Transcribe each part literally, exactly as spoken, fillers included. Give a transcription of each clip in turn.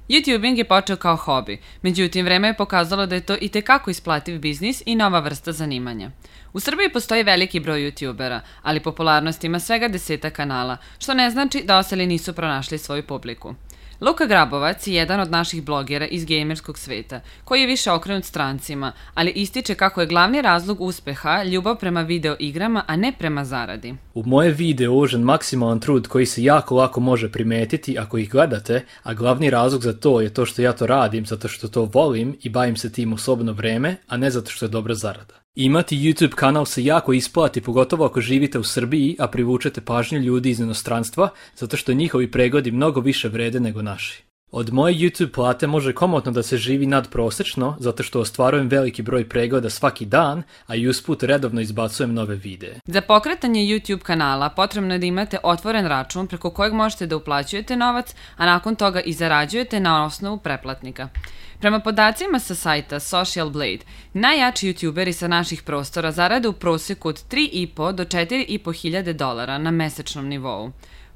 YouTubing je počeo kao hobi, međutim vreme je pokazalo da je to itekako isplativ biznis i nova vrsta zanimanja. U Srbiji postoji veliki broj YouTubera, ali popularnost ima svega deseta kanala, što ne znači da ostali nisu pronašli svoju publiku. Luka Grabovac je jedan od naših blogera iz gejmerskog sveta, koji je više okrenut strancima, ali ističe kako je glavni razlog uspeha ljubav prema video igrama, a ne prema zaradi. U moje video uložen maksimalan trud koji se jako lako može primetiti ako ih gledate, a glavni razlog za to je to što ja to radim zato što to volim i bavim se tim u slobodno vreme, a ne zato što je dobra zarada. Imati YouTube kanal se jako isplati, pogotovo ako živite u Srbiji, a privučete pažnju ljudi iz inostranstva, zato što njihovi pregledi mnogo više vrede nego naši. Od moje YouTube plate može komotno da se živi nadprosečno, zato što ostvarujem veliki broj pregleda svaki dan, a i usput redovno izbacujem nove videe. Za pokretanje YouTube kanala potrebno je da imate otvoren račun preko kojeg možete da uplaćujete novac, a nakon toga i zarađujete na osnovu pretplatnika. Prema podacima sa sajta Social Blade, najjači youtuberi sa naših prostora zarade u proseku od tri i po do četiri i po hiljade dolara na mesečnom nivou.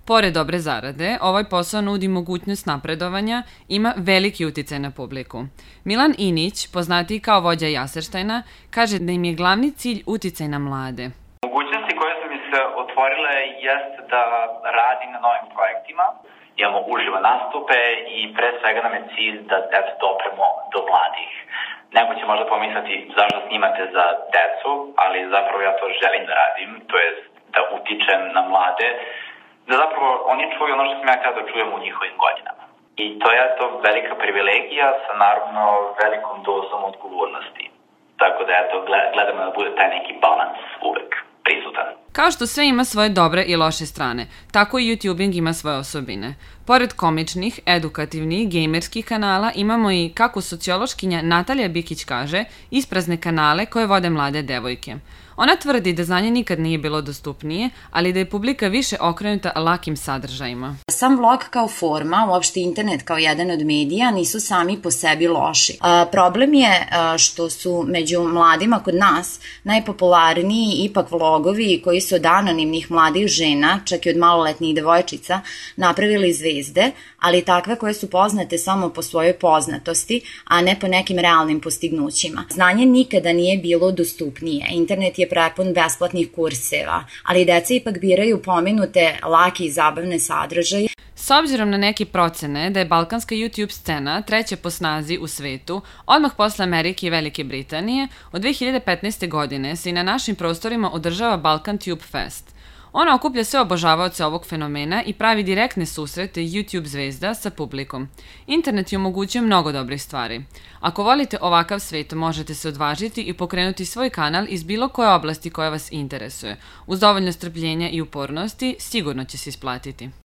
Pored dobre zarade, ovaj posao nudi mogućnost napredovanja, ima veliki uticaj na publiku. Milan Inić, poznatiji kao vođa Jaserštajna, kaže da im je glavni cilj uticaj na mlade. Mogućnosti koje su mi se otvorile jeste da radim na novim projektima, imamo uživo nastupe i pre svega nam je cilj da eto dopremo do mladih. Neko će možda pomisliti zašto snimate za decu, ali zapravo ja to želim da radim, to je da utičem na mlade, da zapravo oni čuju ono što sam ja htio da čujem u njihovim godinama. I to je to velika privilegija sa naravno velikom dozom odgovornosti. Tako da eto, gledamo da bude taj neki balans uvek prisutan. Kao što sve ima svoje dobre i loše strane, tako i YouTubing ima svoje osobine. Pored komičnih, edukativnih, gejmerskih kanala imamo i, kako sociološkinja Natalija Bikić kaže, isprazne kanale koje vode mlade devojke. Ona tvrdi da znanje nikad nije bilo dostupnije, ali da je publika više okrenuta lakim sadržajima. Sam vlog kao forma, uopšte internet kao jedan od medija, nisu sami po sebi loši. A, problem je a, što su među mladima kod nas najpopularniji ipak vlogovi koji su od anonimnih mladih žena, čak i od maloletnih devojčica, napravili zvezde, ali takve koje su poznate samo po svojoj poznatosti, a ne po nekim realnim postignućima. Znanje nikada nije bilo dostupnije. Internet je prepun besplatnih kurseva, ali deca ipak biraju pomenute lake i zabavne sadržaje. S obzirom na neke procene da je balkanska YouTube scena treća po snazi u svetu, odmah posle Amerike i Velike Britanije, od dve hiljade petnaeste. godine se i na našim prostorima održava Balkan Tube Fest. Ona okuplja sve obožavaoce ovog fenomena i pravi direktne susrete YouTube zvezda sa publikom. Internet je omogućio mnogo dobrih stvari. Ako volite ovakav svet, možete se odvažiti i pokrenuti svoj kanal iz bilo koje oblasti koja vas interesuje. Uz dovoljno strpljenja i upornosti, sigurno će se isplatiti.